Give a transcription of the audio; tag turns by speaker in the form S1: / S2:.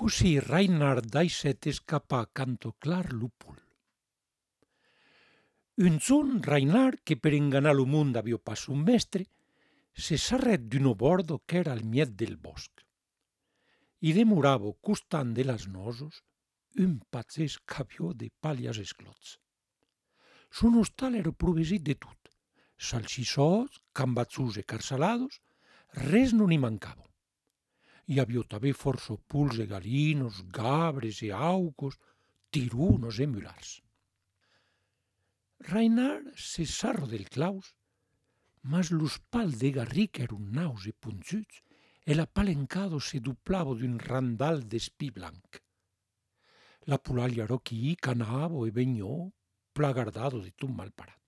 S1: Così Reinhard d'aisset escapà canto clar lupul. Un zon Reinhard, que per enganar lo mund avio pas un mestre, se s'arret d'un bordo qu'era al miet del bosc. I demoravo costant de las nosos un pazzesc avió de palias esclots. Son hostal ero provesit de tot, salsissòs, cambatzús e carsalados, res non hi mancavo. Hi avió tanben força puls e galinos, gabres e aucos, tirunos e mulars. Reinhard se sarro del claus, mas los pal de garric eron naus e punzuts, e l'apalencado se duplavo d'un randal d'espí blanc. La pulaglia roquí, canavo e begnò, plagardado de tot mal parat.